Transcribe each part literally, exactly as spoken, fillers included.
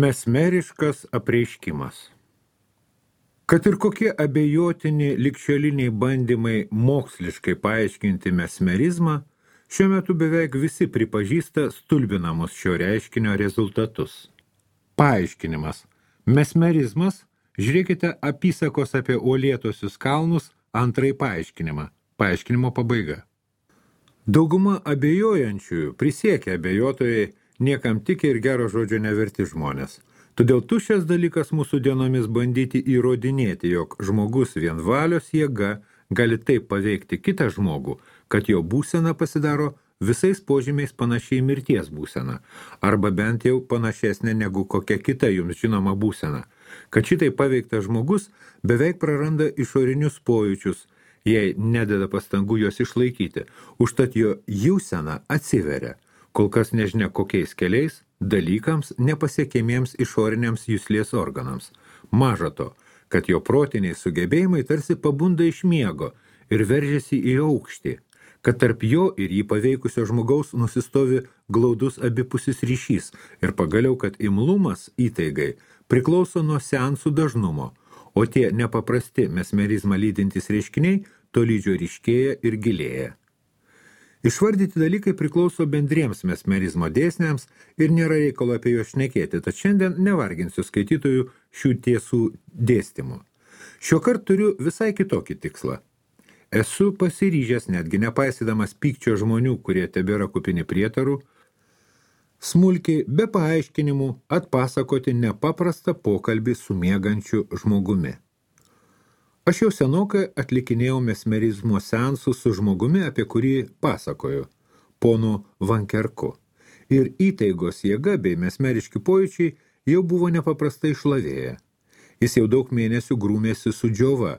Mesmeriškas apreiškimas. Kad ir kokie abejotini ligšioliniai bandymai moksliškai paaiškinti mesmerizmą, šiuo metu beveik visi pripažįsta stulbinamus šio reiškinio rezultatus. Paaiškinimas. Mesmerizmas, žiūrėkite apysakos apie uolėtosius kalnus, antrąjį paaiškinimą. Paaiškinimo pabaiga. Dauguma abejojančiųjų prisiekia abejotojai, niekam tik ir gero žodžio neverti žmonės. Todėl tuščias dalykas mūsų dienomis bandyti įrodinėti, jog žmogus vien valios jėga gali taip paveikti kitą žmogų, kad jo būsena pasidaro visais požymiais panašiai mirties būsena, arba bent jau panašesnė negu kokia kita jums žinoma būsena, kad šitai paveiktas žmogus beveik praranda išorinius pojūčius, jei nededa pastangų juos išlaikyti, užtat jo jausena atsiveria, kol kas nežinia kokiais keliais, dalykams nepasiekiamiems išoriniams juslės organams. Maža to, kad jo protiniai sugebėjimai tarsi pabunda iš miego ir veržiasi į aukštį, kad tarp jo ir jį paveikusio žmogaus nusistovi glaudus abipusis ryšys ir pagaliau, kad imlumas įtaigai priklauso nuo seansų dažnumo, o tie nepaprasti mesmerizmą lydintys reiškiniai tolydžio ryškėja ir gilėja. Išvardyti dalykai priklauso bendriems mesmerizmo dėsniams ir nėra reikalo apie juos šnekėti, tad šiandien nevarginsiu skaitytojų šių tiesų dėstymų. Šiuokart turiu visai kitokį tikslą. Esu pasiryžęs, netgi nepaisydamas pykčio žmonių, kurie tebėra kupini prietarų, smulkiai, be paaiškinimų, atpasakoti nepaprastą pokalbį su miegančiu žmogumi. Aš jau senokai atlikinėjau mesmerizmo seansų su žmogumi, apie kurį pasakoju, ponu Vankerku. Ir įtaigos jėga bei mesmeriški pojūčiai jau buvo nepaprastai išlavėję. Jis jau daug mėnesių grūmėsi su džiova,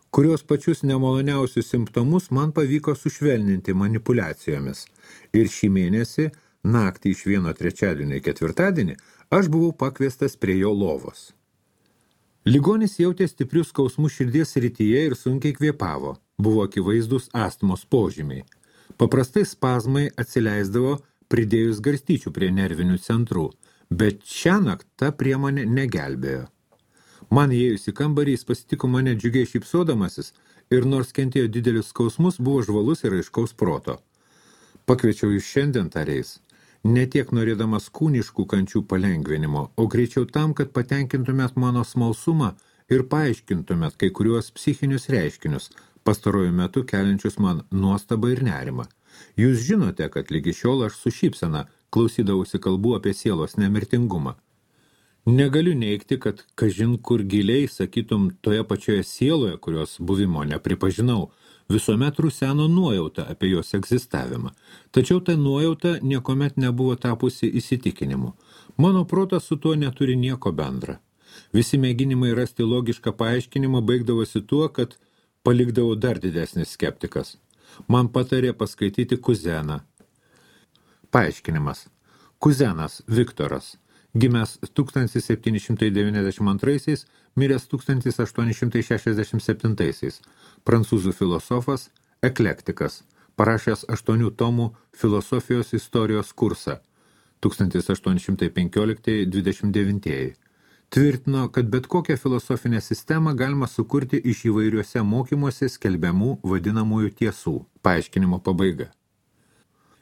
kurios pačius nemaloniausius simptomus man pavyko sušvelninti manipulacijomis. Ir šį mėnesį, naktį iš vieno trečiadienio į ketvirtadienį, aš buvau pakviestas prie jo lovos. Ligonis jautė stiprius skausmus širdies srityje ir sunkiai kvėpavo. Buvo akivaizdus astmos požymiai. Paprastai spazmai atsileisdavo pridėjus garstyčių prie nervinių centrų, bet šiąnakt ta priemonė negelbėjo. Man įėjus į kambarį, jis pasitiko mane džiugiai šypsodamasis ir nors kentėjo didelius skausmus, buvo žvalus ir aiškaus proto. Pakviečiau jūs šiandien, tariais, ne tiek norėdamas kūniškų kančių palengvinimo, o greičiau tam, kad patenkintumėt mano smalsumą ir paaiškintumėt kai kuriuos psichinius reiškinius, pastaruoju metu keliančius man nuostabą ir nerimą. Jūs žinote, kad lygi šiol aš su šypsena klausydavausi kalbų apie sielos nemirtingumą. Negaliu neigti, kad kažin kur giliai, sakytum, toje pačioje sieloje, kurios buvimo nepripažinau, visuomet ruseno nuojauta apie jos egzistavimą. Tačiau ta nuojauta niekomet nebuvo tapusi įsitikinimu. Mano protas su tuo neturi nieko bendra. Visi mėginimai rasti logišką paaiškinimą baigdavosi tuo, kad palikdavau dar didesnis skeptikas. Man patarė paskaityti Kuzeną. Paaiškinimas. Kuzenas Viktoras, gimęs tūkstantis septyni šimtai devyniasdešimt antraisiais, miręs tūkstantis aštuoni šimtai šešiasdešimt septintaisiais, prancūzų filosofas, eklektikas, parašęs aštuonių tomų filosofijos istorijos kursą tūkstantis aštuoni šimtai penkiolikti dvidešimt devinti. Tvirtino, kad bet kokią filosofinę sistemą galima sukurti iš įvairiuose mokymuose skelbiamų vadinamųjų tiesų. Paaiškinimo pabaiga.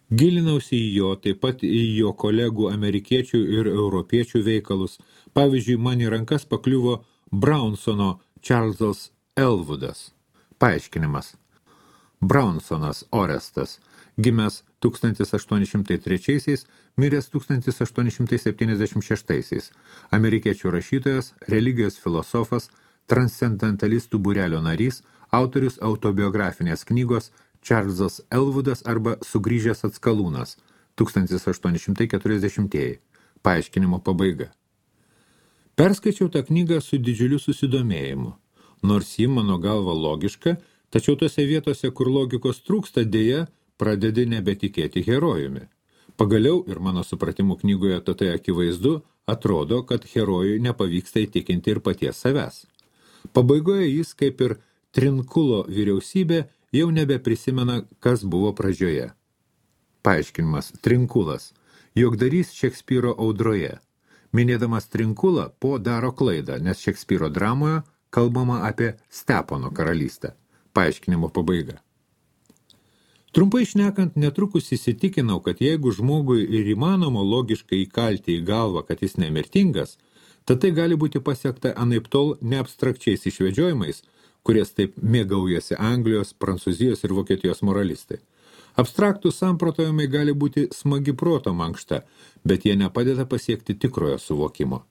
Gilinausi į jo, taip pat į jo kolegų amerikiečių ir europiečių veikalus. Pavyzdžiui, man į rankas pakliuvo Brownsono Charlesas Elwoodas. Paaiškinimas. Brownsonas Orestas, gimęs tūkstantis aštuoni šimtai trečiaisiais, miręs tūkstantis aštuoni šimtai septyniasdešimt šeštaisiais. Amerikiečių rašytojas, religijos filosofas, transcendentalistų būrelio narys, autorius autobiografinės knygos Charlesas Elwoodas arba Sugrįžęs atskalūnas, tūkstantis aštuoni šimtai keturiasdešimtieji. Paaiškinimo pabaiga. Perskaičiau tą knygą su didžiuliu susidomėjimu. Nors ji mano galva logiška, tačiau tose vietose, kur logikos trūksta, dėja, pradedi nebetikėti herojumi. Pagaliau, ir mano supratimu knygoje tai akivaizdu, atrodo, kad herojui nepavyksta įtikinti ir paties savęs. Pabaigoje jis, kaip ir Trinkulo vyriausybė, jau nebeprisimena, kas buvo pradžioje. Paaiškinimas. Trinkulas. Jogdarys Šekspyro audroje. Minėdamas Trinkulą, Po daro klaidą, nes Šekspyro dramoje kalbama apie Stepono karalystę. Paaiškinimo pabaiga. Trumpai šnekant, netrukus įsitikinau, kad jeigu žmogui ir įmanoma logiškai įkalti į galvą, kad jis nemirtingas, tad tai gali būti pasiekta anaiptol neabstrakčiais išvedžiojimais, kurias taip mėgaujasi Anglijos, Prancūzijos ir Vokietijos moralistai. Abstraktų samprotojimai gali būti smagi proto mankšta, bet jie nepadeda pasiekti tikrojo suvokimo.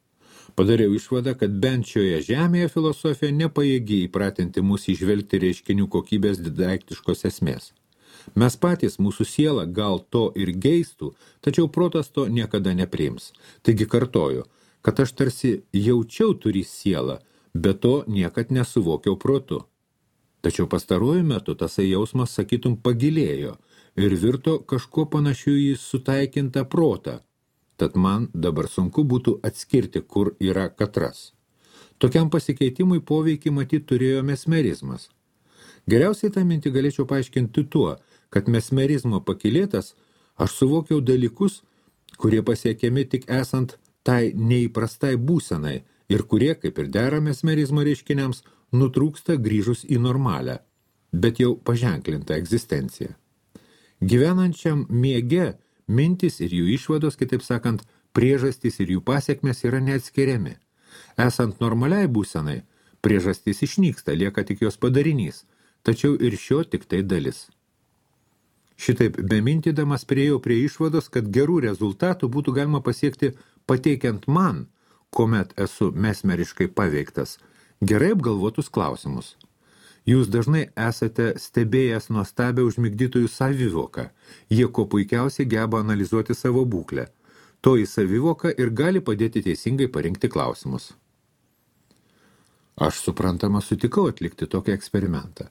Padariau išvadą, kad bent šioje žemėje filosofija nepajėgi įpratinti mus įžvelgti reiškinių kokybės didaiktiškos esmės. Mes patys, mūsų siela, gal to ir geistų, tačiau protas to niekada nepriims. Taigi kartoju, kad aš tarsi jaučiau turi sielą, bet to niekad nesuvokiau protu. Tačiau pastaruoju metu tasai jausmas, sakytum, pagilėjo ir virto kažkuo panašiu į sutaikintą protą. Tad man dabar sunku būtų atskirti, kur yra katras. Tokiam pasikeitimui poveikį matyt turėjo mesmerizmas. Geriausiai tą mintį galėčiau paaiškinti tuo, kad mesmerizmo pakilėtas aš suvokiau dalykus, kurie pasiekiami tik esant tai neįprastai būsenai ir kurie, kaip ir dera mesmerizmo reiškiniams, nutrūksta grįžus į normalią, bet jau paženklintą egzistenciją. Gyvenančiam miege mintis ir jų išvados, kitaip sakant, priežastys ir jų pasiekmes yra neatskiriami. Esant normaliai būsenai, priežastys išnyksta, lieka tik jos padarinys, tačiau ir šio tik tai dalis. Šitaip bemintydamas priėjau prie išvados, kad gerų rezultatų būtų galima pasiekti pateikiant man, kuomet esu mesmeriškai paveiktas, gerai apgalvotus klausimus. Jūs dažnai esate stebėjęs nuostabią užmigdytojų savivoką. Jie kuo puikiausiai geba analizuoti savo būklę. Toji savivoka ir gali padėti teisingai parinkti klausimus. Aš suprantama sutikau atlikti tokį eksperimentą.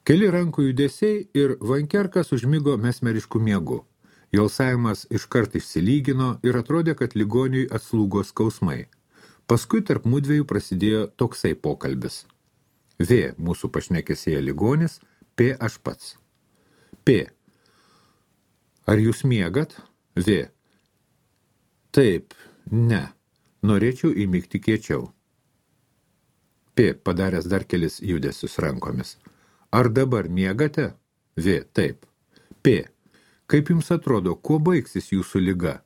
Keli rankų judesiai ir Vankerkas užmigo mesmeriškų miegu. Jo alsavimas iškart išsilygino ir atrodė, kad ligoniui atslūgo skausmai. Paskui tarp mudviejų prasidėjo toksai pokalbis. V. Mūsų pašnekesėje ligonis, P. Aš pats. P. Ar jūs miegat? V. Taip, ne. Norėčiau įmigti kiečiau. P. Padaręs dar kelis judesius rankomis. Ar dabar miegate? V. Taip. P. Kaip jums atrodo, kuo baigsis jūsų liga?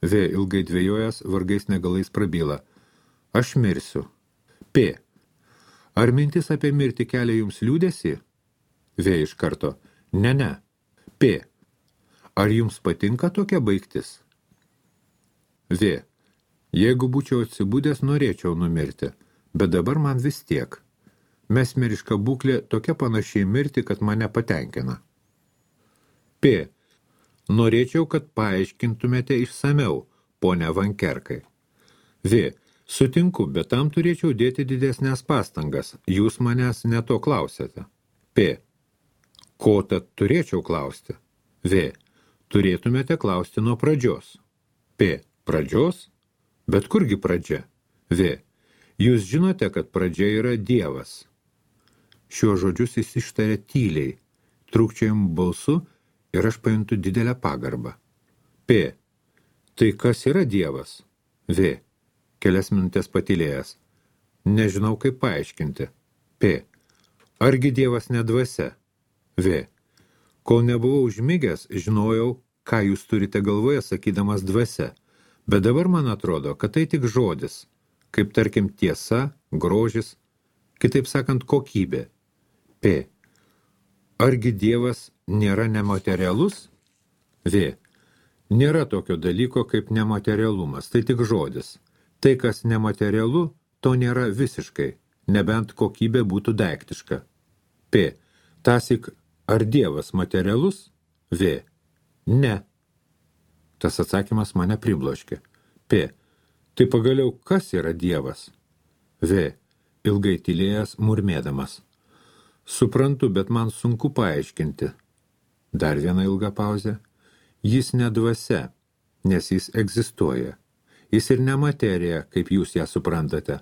V. Ilgai dvejojęs, vargais negalais prabyla. Aš mirsiu. P. Ar mintis apie mirtį kelia jums liūdesį? V. Iš karto. Ne, ne. P. Ar jums patinka tokia baigtis? V. Jeigu būčiau atsibudęs, norėčiau numirti, bet dabar man vis tiek. Mesmeriška būklė tokia panašiai mirti, kad mane patenkina. P. Norėčiau, kad paaiškintumėte išsameu, ponia Vankerkai. V. Sutinku, bet tam turėčiau dėti didesnės pastangas. Jūs manęs ne to klausėte. P. Ko tad turėčiau klausti? V. Turėtumėte klausti nuo pradžios. P. Pradžios? Bet kurgi pradžia? V. Jūs žinote, kad pradžia yra Dievas. Šiuo žodžius jis ištarė tyliai, trūkčiojimų balsu ir aš pajuntu didelę pagarbą. P. Tai kas yra Dievas? V. Kelias minutės patylėjęs. Nežinau, kaip paaiškinti. P. Argi Dievas ne dvasia? V. Kol nebuvau užmigęs, žinojau, ką jūs turite galvoje, sakydamas dvasia. Bet dabar man atrodo, kad tai tik žodis, kaip tarkim tiesa, grožis, kitaip sakant kokybė. P. Argi Dievas nėra nematerialus? V. Nėra tokio dalyko kaip nematerialumas, tai tik žodis. Tai, kas nematerialu, to nėra visiškai, nebent kokybė būtų daiktiška. P. Tasik, ar Dievas materialus? V. Ne. Tas atsakymas mane pribloškė. P. Tai pagaliau, kas yra Dievas? V. Ilgai tylėjęs, murmėdamas. Suprantu, bet man sunku paaiškinti. Dar viena ilga pauzė. Jis ne dvasia, nes jis egzistuoja. Jis ir ne materija, kaip jūs ją suprantate,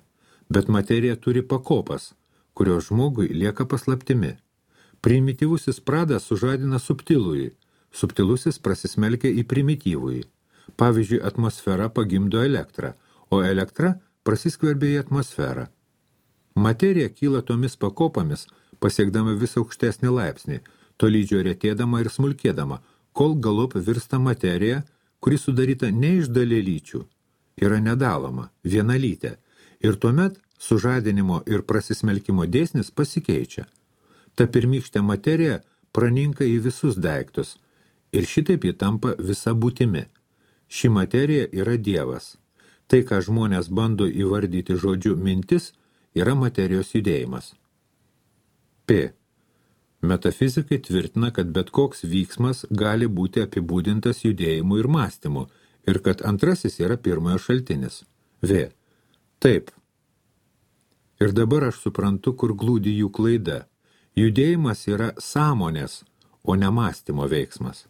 bet materija turi pakopas, kurios žmogui lieka paslaptimi. Primityvusis pradas sužadina subtilųjį, subtilusis prasismelkia į primityvųjį. Pavyzdžiui, atmosfera pagimdo elektrą, o elektra prasiskverbia į atmosferą. Materija kyla tomis pakopomis, pasiekdama vis aukštesnį laipsnį, tolydžio retėdama ir smulkėdama, kol galop virsta materija, kuri sudaryta ne iš dalelyčių, yra nedaloma, vienalytė, ir tuomet sužadinimo ir prasismelkimo dėsnis pasikeičia. Ta pirmykštė materija praninka į visus daiktus, ir šitaip ji tampa visa būtimi. Ši materija yra Dievas. Tai, ką žmonės bando įvardyti žodžiu mintis, yra materijos judėjimas. P. Metafizikai tvirtina, kad bet koks vyksmas gali būti apibūdintas judėjimu ir mąstymu, ir kad antrasis yra pirmojo šaltinis. V. Taip. Ir dabar aš suprantu, kur glūdi jų klaida. Judėjimas yra sąmonės, o ne mąstymo veiksmas.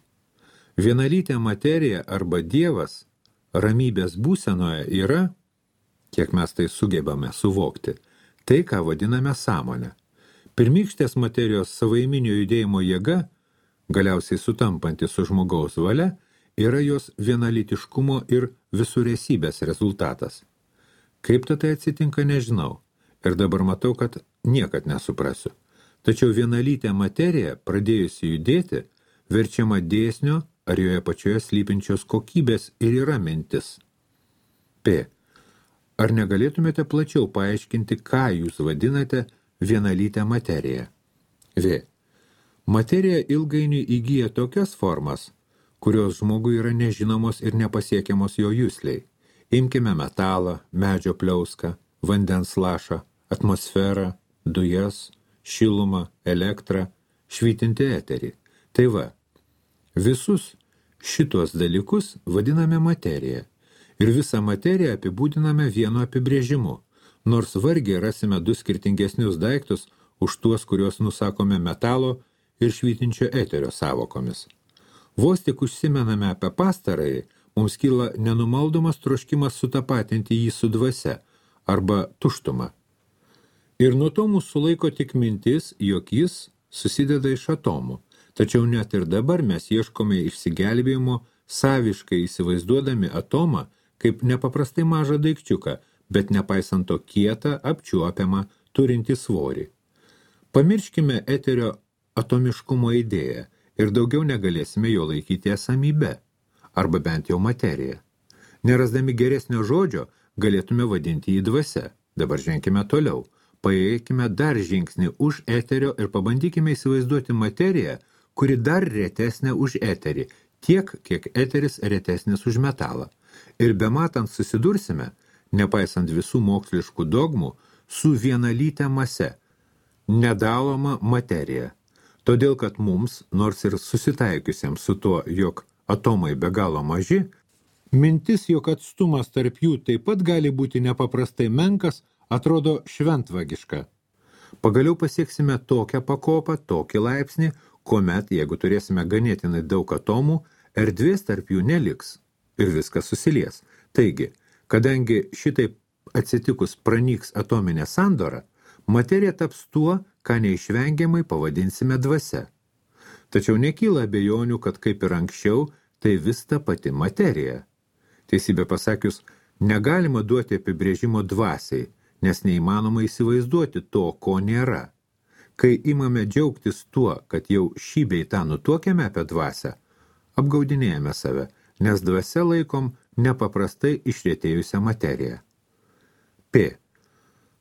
Vienalytė materija arba Dievas ramybės būsenoje yra, kiek mes tai sugebame suvokti, tai, ką vadiname sąmonę. Pirmykštės materijos savaiminio judėjimo jėga, galiausiai sutampanti su žmogaus valia, yra jos vienalytiškumo ir visuresybės rezultatas. Kaip tai atsitinka, nežinau, ir dabar matau, kad niekad nesuprasiu. Tačiau vienalytė materija, pradėjusi judėti, verčiama dėsnio ar joje pačioje slypinčios kokybės ir yra mintis. P. Ar negalėtumėte plačiau paaiškinti, ką jūs vadinate vienalytę materiją? V. Materija ilgainiui įgyja tokias formas, kurios žmogui yra nežinomos ir nepasiekiamos jo jusliai. Imkime metalą, medžio pliauską, vandens lašą, atmosferą, dujas, šilumą, elektrą, švytinti eterį. Tai va, visus šitos dalykus vadiname materija ir visą materiją apibūdiname vienu apibrėžimu, nors vargiai rasime du skirtingesnius daiktus už tuos, kuriuos nusakome metalo ir švytinčio eterio sąvokomis. Vos tik užsimename apie pastarąjį, mums kyla nenumaldomas troškimas sutapatinti jį su dvasia arba tuštuma. Ir nuo to mūsų sulaiko tik mintis, jog jis susideda iš atomų. Tačiau net ir dabar mes ieškome išsigelbėjimo, saviškai įsivaizduodami atomą kaip nepaprastai mažą daikčiuką, bet nepaisant to kietą, apčiuopiamą, turintį svorį. Pamirškime eterio atomiškumo idėją ir daugiau negalėsime jo laikyti esamybe, arba bent jau materiją. Nerasdami geresnio žodžio, galėtume vadinti jį dvasia. Dabar ženkime toliau. Paėjėkime dar žingsnį už eterio ir pabandykime įsivaizduoti materiją, kuri dar retesnė už eterį, tiek, kiek eteris retesnis už metalą. Ir bematant susidursime, nepaisant visų moksliškų dogmų, su vienalyte mase, nedaloma materija. Todėl, kad mums, nors ir susitaikiusiems su tuo, jog atomai be galo maži, mintis, jog atstumas tarp jų taip pat gali būti nepaprastai menkas, atrodo šventvagiška. Pagaliau pasieksime tokią pakopą, tokį laipsnį, kuomet, jeigu turėsime ganėtinai daug atomų, erdvės tarp jų neliks ir viskas susilies. Taigi, kadangi šitaip atsitikus pranyks atominė sandora, materija taps tuo, ką neišvengiamai pavadinsime dvasia. Tačiau nekyla abejonių, kad kaip ir anksčiau, tai vis ta pati materija. Teisybė pasakius, negalima duoti apibrėžimo dvasiai, nes neįmanoma įsivaizduoti to, ko nėra. Kai imame džiaugtis tuo, kad jau šį bei tą nutuokėme apie dvasią, apgaudinėjame save, nes dvasia laikom nepaprastai išretėjusią materiją. P.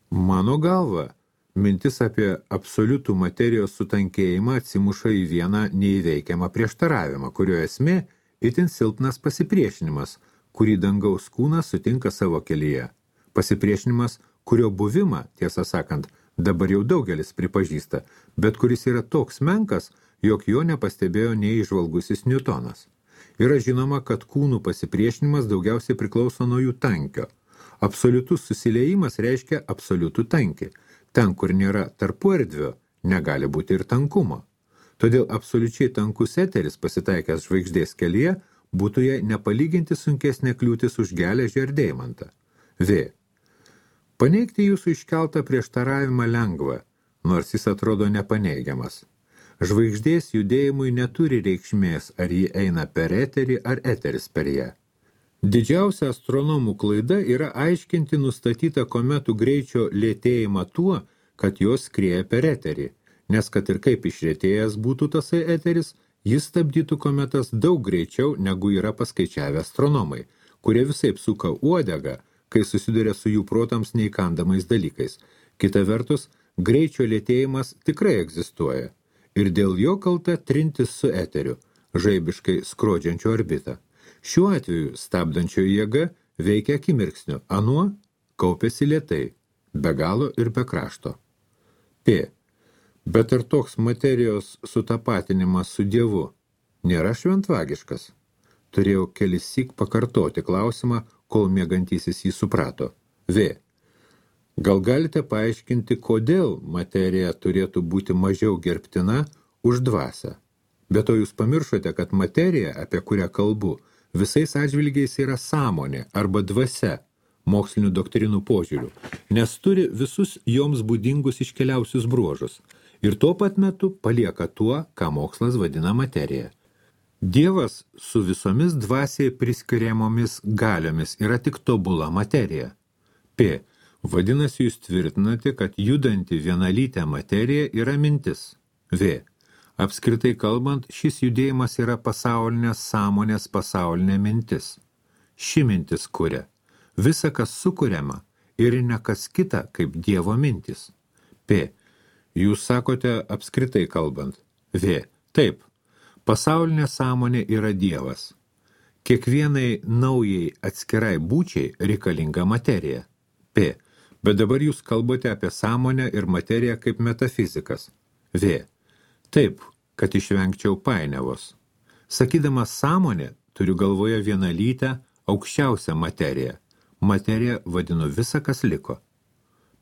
Mano galva, mintis apie absoliutų materijos sutankėjimą atsimuša į vieną neįveikiamą prieštaravimą, kurio esmė itin silpnas pasipriešinimas, kurį dangaus kūnas sutinka savo kelyje. Pasipriešinimas, kurio buvimą, tiesą sakant, dabar jau daugelis pripažįsta, bet kuris yra toks menkas, jog jo nepastebėjo neįžvalgusis Niutonas. Yra žinoma, kad kūnų pasipriešinimas daugiausiai priklauso nuo jų tankio. Absoliutus susiliejimas reiškia absoliutų tankį. Ten, kur nėra tarpuerdvio, negali būti ir tankumo. Todėl absoliučiai tankus eteris pasitaikęs žvaigždės kelyje būtų jai nepalyginti sunkesnė kliūtis už geležį ar deimantą. V. Paneigti jūsų iškeltą prieštaravimą lengva, nors jis atrodo nepaneigiamas. Žvaigždės judėjimui neturi reikšmės, ar ji eina per eterį ar eteris per ją. Didžiausia astronomų klaida yra aiškinti nustatytą kometų greičio lėtėjimą tuo, kad jos skrieja per eterį, nes kad ir kaip išlėtėjęs būtų tasai eteris, jis stabdytų kometas daug greičiau, negu yra paskaičiavę astronomai, kurie visaip suka uodegą, kai susiduria su jų protams neįkandamais dalykais. Kita vertus, greičio lėtėjimas tikrai egzistuoja, ir dėl jo kalta trintis su eteriu, žaibiškai skrodžiančio orbitą. Šiuo atveju stabdančioji jėga veikia akimirksniu, anuo kaupiasi lėtai, be galo ir be krašto. P. Bet ar toks materijos sutapatinimas su Dievu nėra šventvagiškas? Turėjau kelissyk pakartoti klausimą, kol miegantysis jį suprato. V. Gal galite paaiškinti, kodėl materija turėtų būti mažiau gerbtina už dvasią? Be to jūs pamiršote, kad materija, apie kurią kalbu, visais atžvilgiais yra sąmonė arba dvasia mokslinių doktrinų požiūrių, nes turi visus joms būdingus iškeliausius bruožus ir tuo pat metu palieka tuo, ką mokslas vadina materija. Dievas su visomis dvasiai priskiriamomis galiomis yra tik tobula materija. P. Vadinasi, jūs tvirtinate, kad judanti vienalytė materija yra mintis. V. Apskritai kalbant, šis judėjimas yra pasaulinės sąmonės pasaulinė mintis. Ši mintis kuria. Visa, kas sukuriama, ir ne kas kita, kaip Dievo mintis. P. Jūs sakote apskritai kalbant. V. Taip. Pasaulinė sąmonė yra Dievas. Kiekvienai naujai atskirai būčiai reikalinga materija. P. Bet dabar jūs kalbate apie sąmonę ir materiją kaip metafizikas. V. Taip, kad išvengčiau painiavos. Sakydamas sąmonė, turiu galvoje vienalytę, aukščiausią materiją. Materiją vadinu visa, kas liko.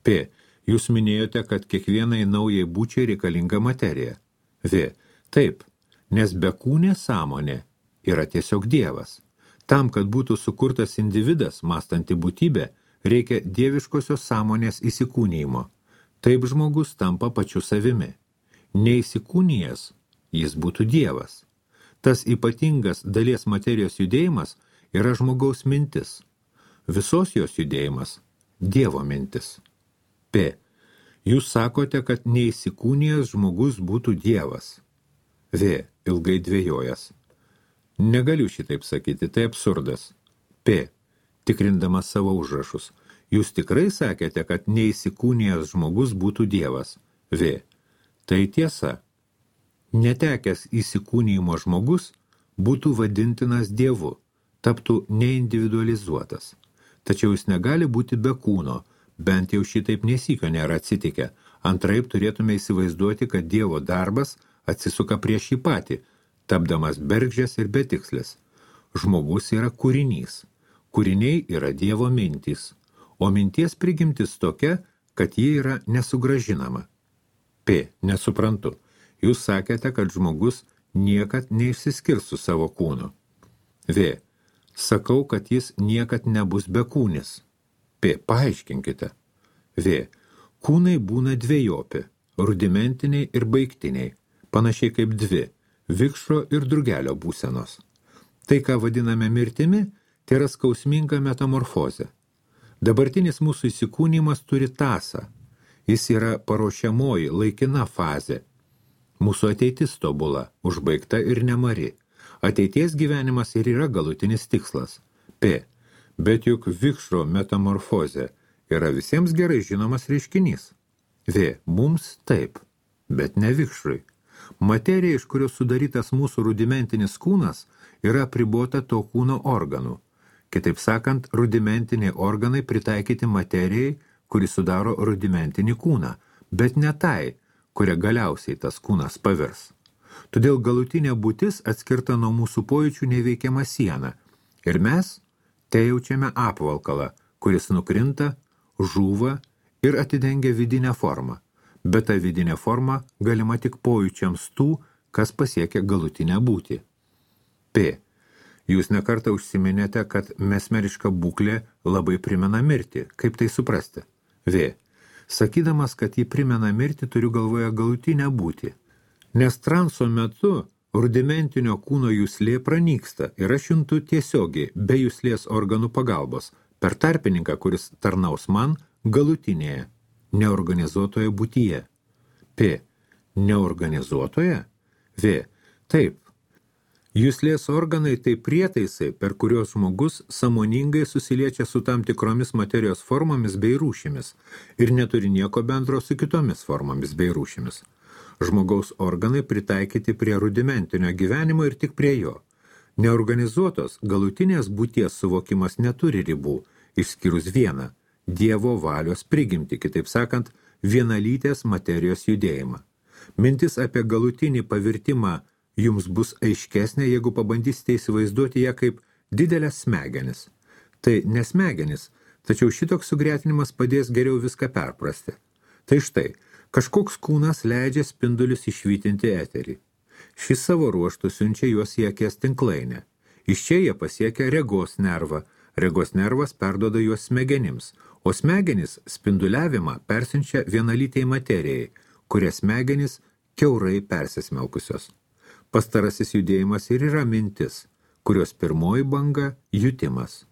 P. Jūs minėjote, kad kiekvienai naujai būčiai reikalinga materija. V. Taip, nes bekūnė sąmonė yra tiesiog Dievas. Tam, kad būtų sukurtas individas, mąstanti būtybė, reikia dieviškosios sąmonės įsikūnijimo. Taip žmogus tampa pačiu savimi. Neįsikūnijęs, jis būtų Dievas. Tas ypatingas dalies materijos judėjimas yra žmogaus mintis. Visos jos judėjimas – Dievo mintis. P. Jūs sakote, kad neįsikūnijęs žmogus būtų Dievas. V. Ilgai dvejojęs. Negaliu šitaip sakyti, tai absurdas. P. Tikrindamas savo užrašus. Jūs tikrai sakėte, kad neįsikūnijęs žmogus būtų Dievas. V. Tai tiesa. Netekęs įsikūnijimo žmogus būtų vadintinas Dievu, taptų neindividualizuotas. Tačiau jis negali būti be kūno, bent jau šitaip nesykio nėra atsitikę. Antraip turėtume įsivaizduoti, kad Dievo darbas atsisuka prieš jį patį, tapdamas bergždžias ir betikslis. Žmogus yra kūrinys. Kūriniai yra Dievo mintys, o minties prigimtis tokia, kad ji yra nesugrąžinama. P. Nesuprantu. Jūs sakėte, kad žmogus niekad neišsiskirs su savo kūnu. V. Sakau, kad jis niekad nebus bekūnis. P. Paaiškinkite. V. Kūnai būna dvejopi, rudimentiniai ir baigtiniai, panašiai kaip dvi, vikšro ir drugelio būsenos. Tai, ką vadiname mirtimi, tai yra skausminga metamorfozė. Dabartinis mūsų įsikūnimas turi tąsą. Jis yra paruošiamoji, laikina fazė. Mūsų ateitis tobula, užbaigta ir nemari. Ateities gyvenimas ir yra galutinis tikslas. P. Bet juk vikšro metamorfozė yra visiems gerai žinomas reiškinys. V. Mums taip, bet ne vikšrui. Materija, iš kurios sudarytas mūsų rudimentinis kūnas, yra apribota to kūno organų. Kitaip sakant, rudimentiniai organai pritaikyti materijai, kuri sudaro rudimentinį kūną, bet ne tai, kuria galiausiai tas kūnas pavirs. Todėl galutinė būtis atskirta nuo mūsų pojūčių neveikiama siena, ir mes te jaučiame apvalkalą, kuris nukrinta, žūva ir atidengia vidinę formą, bet ta vidinė forma galima tik pojūčiams tų, kas pasiekia galutinę būtį. P. Jūs nekartą užsiminėte, kad mesmeriška būklė labai primena mirtį. Kaip tai suprasti? V. Sakydamas, kad jį primena mirtį, turiu galvoje galutinę būtį. Nes transo metu rudimentinio kūno juslė pranyksta ir aš juntu tiesiogiai, be juslės organų pagalbos, per tarpininką, kuris tarnaus man galutinėje, neorganizuotoje būtyje. P. Neorganizuotoje? V. Taip. Juslės organai tai prietaisai, per kurios žmogus sąmoningai susiliečia su tam tikromis materijos formomis bei rūšimis ir neturi nieko bendro su kitomis formomis bei rūšimis. Žmogaus organai pritaikyti prie rudimentinio gyvenimo ir tik prie jo. Neorganizuotos galutinės būties suvokimas neturi ribų, išskyrus vieną – Dievo valios prigimtį, kitaip sakant, vienalytės materijos judėjimą. Mintis apie galutinį pavirtimą jums bus aiškesnė, jeigu pabandysite įsivaizduoti ją kaip didelės smegenis. Tai nesmegenis, tačiau šitoks sugretinimas padės geriau viską perprasti. Tai štai, kažkoks kūnas leidžia spindulius išvytinti eterį. Šis savo ruoštų siunčia juos į akies tinklainę. Iš čia jie pasiekia regos nervą, regos nervas perduoda juos smegenims, o smegenys spinduliavimą persiunčia vienalytei materijai, kurie smegenys kiaurai persismelkusios. Pastarasis judėjimas ir yra mintis, kurios pirmoji banga – jutimas.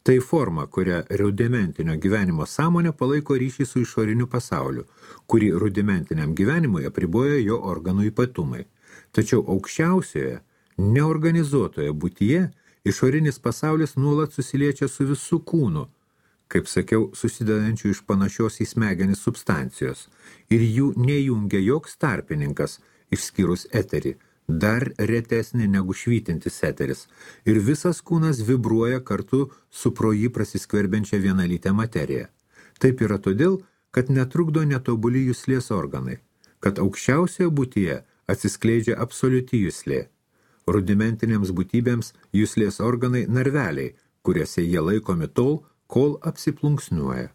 Tai forma, kurią rudimentinio gyvenimo sąmonė palaiko ryšį su išoriniu pasauliu, kurį rudimentiniam gyvenimui apriboja jo organų ypatumai. Tačiau aukščiausioje, neorganizuotoje būtyje išorinis pasaulis nuolat susiliečia su visų kūnu, kaip sakiau, susidedančių iš panašios į smegenis substancijos, ir jų nejungia joks tarpininkas, išskyrus eterį, dar retesnė negu švytintis eteris, ir visas kūnas vibruoja kartu su pro jį prasiskverbiančia vienalytę materiją. Taip yra todėl, kad netrukdo netobuli juslės organai, kad aukščiausioje būtyje atsiskleidžia absoliuti juslė. Rudimentinėms būtybėms juslės organai narveliai, kuriuose jie laikomi tol, kol apsiplunksniuoja.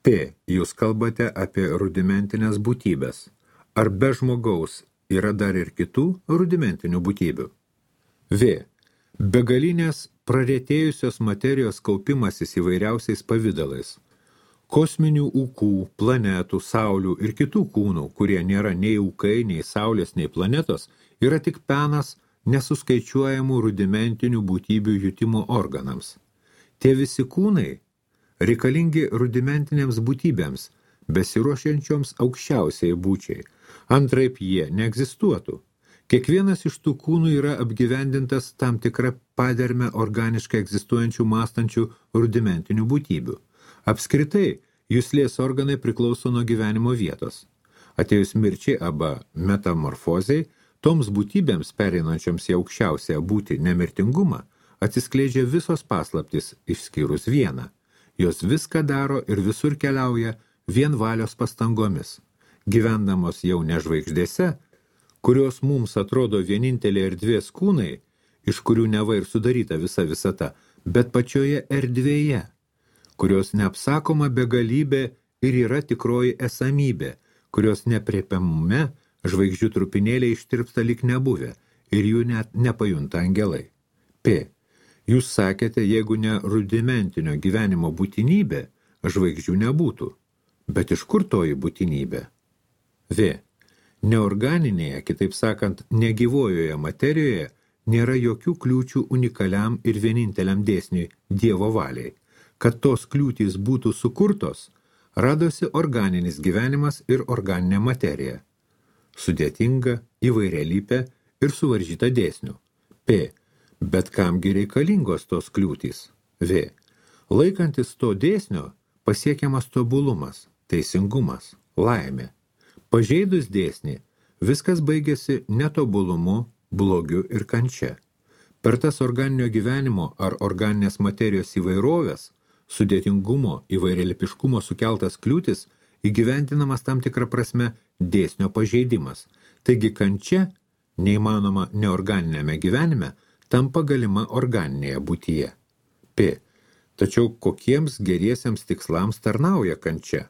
P. Jūs kalbate apie rudimentinės būtybės. Ar be žmogaus yra dar ir kitų rudimentinių būtybių? V. Begalinės praretėjusios materijos kaupimasis įvairiausiais pavidalais. Kosminių ūkų, planetų, saulių ir kitų kūnų, kurie nėra nei ūkai, nei saulės, nei planetos, yra tik penas nesuskaičiuojamų rudimentinių būtybių jutimo organams. Tie visi kūnai reikalingi rudimentinėms būtybėms, besiruošiančioms aukščiausiai būčiai. Antraip jie neegzistuotų. Kiekvienas iš tų kūnų yra apgyvendintas tam tikrą padermę organiškai egzistuojančių mąstančių rudimentinių būtybių. Apskritai, juslės organai priklauso nuo gyvenimo vietos. Atėjus mirčiai arba metamorfozei, toms būtybėms pereinančioms į aukščiausią būtį nemirtingumą, atsiskleidžia visos paslaptys išskyrus vieną. Jos viską daro ir visur keliauja vien valios pastangomis. Gyvendamos jau ne žvaigždėse, kurios mums atrodo vienintelė erdvės kūnai, iš kurių neva ir sudaryta visa visata, bet pačioje erdvėje, kurios neapsakoma begalybė ir yra tikroji esamybė, kurios nepriepiamume žvaigždžių trupinėliai ištirpsta lyg nebuvę ir jų net nepajunta angelai. P. Jūs sakėte, jeigu ne rudimentinio gyvenimo būtinybė, žvaigždžių nebūtų. Bet iš kur toji būtinybė? V. Neorganinėje, kitaip sakant, negyvojoje materijoje nėra jokių kliūčių unikaliam ir vieninteliam dėsniui Dievo valiai. Kad tos kliūtys būtų sukurtos, radosi organinis gyvenimas ir organinė materija. Sudėtinga, įvairialypė ir suvaržyta dėsnių. P. Bet kamgi reikalingos tos kliūtys? V. Laikantis to dėsnio pasiekiamas tobulumas, teisingumas, laimė. Pažeidus dėsnį, viskas baigėsi netobulumu, blogiu ir kančia. Per tas organinio gyvenimo ar organinės materijos įvairovės, sudėtingumo, įvairialipiškumo sukeltas kliūtis, įgyvendinamas tam tikrą prasme dėsnio pažeidimas. Taigi kančia, neįmanoma neorganinėme gyvenime, tampa galima organinėje būtyje. P. Tačiau kokiems geriesiems tikslams tarnauja kančia?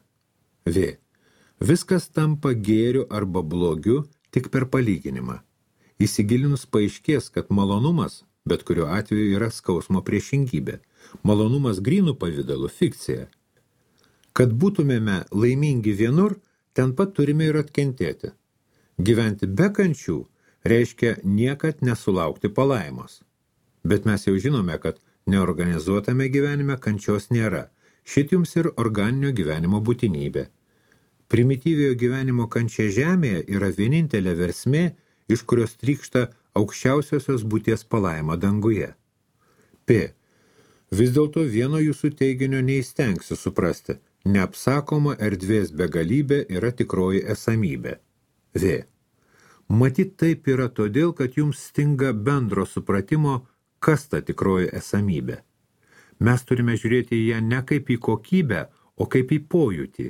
V. Viskas tampa gėriu arba blogiu tik per palyginimą. Įsigilinus paaiškės, kad malonumas, bet kuriuo atveju yra skausmo priešingybė. Malonumas grynų pavidalu fikcija. Kad būtumėme laimingi vienur, ten pat turime ir atkentėti. Gyventi be kančių reiškia niekad nesulaukti palaimos. Bet mes jau žinome, kad neorganizuotame gyvenime kančios nėra. Šit jums ir organinio gyvenimo būtinybė. Primityviojo gyvenimo kančia žemėje yra vienintelė versmė, iš kurios trykšta aukščiausiosios būties palaima danguje. P. Vis dėlto vieno jūsų teiginio neįstengsiu suprasti. Neapsakoma erdvės begalybė yra tikroji esamybė. V. Matyt taip yra todėl, kad jums stinga bendro supratimo, kas ta tikroji esamybė. Mes turime žiūrėti į ją ne kaip į kokybę, o kaip į pojūtį.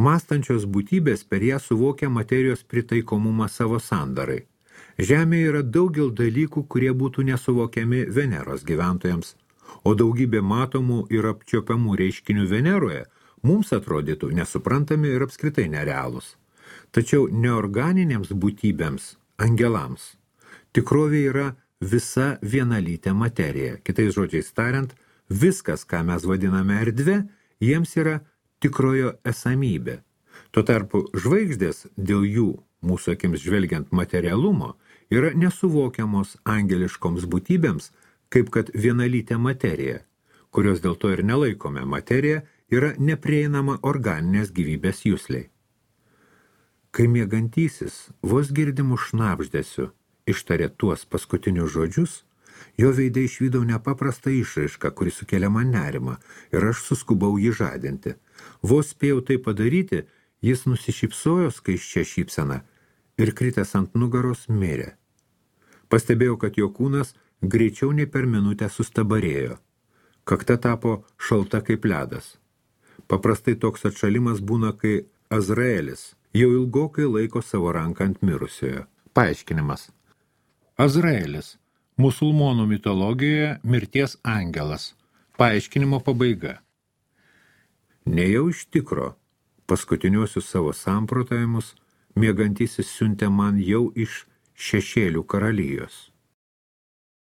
Mąstančios būtybės per ją suvokia materijos pritaikomumą savo sandarai. Žemėje yra daugel dalykų, kurie būtų nesuvokiami Veneros gyventojams, o daugybė matomų ir apčiopiamų reiškinių Veneroje mums atrodytų nesuprantami ir apskritai nerealūs. Tačiau neorganinėms būtybėms, angelams, tikrovė yra visa vienalytė materija. Kitais žodžiais tariant, viskas, ką mes vadiname erdve, jiems yra tikrojo esamybė. Tuo tarpu žvaigždės dėl jų, mūsų akims žvelgiant materialumo, yra nesuvokiamos angeliškoms būtybėms, kaip kad vienalytė materija, kurios dėl to ir nelaikome materija, yra neprieinama organinės gyvybės jusliai. Kai miegantysis vos girdimų šnabždesių ištarė tuos paskutinius žodžius, jo veide išvydau nepaprastą išraišką, kuri sukėlė man nerimą, ir aš suskubau jį žadinti. Vos spėjau tai padaryti, jis nusišypsojo skaisčia šypsena ir kritęs ant nugaros mirė. Pastebėjau, kad jo kūnas greičiau nei per minutę sustabarėjo. Kakta tapo šalta kaip ledas. Paprastai toks atšalimas būna, kai Azraelis jau ilgokai laiko savo ranką ant mirusiojo. Paaiškinimas. Azraelis. Musulmonų mitologijoje mirties angelas. Paaiškinimo pabaiga. Nejau iš tikro, paskutiniuosius savo samprotavimus miegantysis siuntė man jau iš šešėlių karalijos.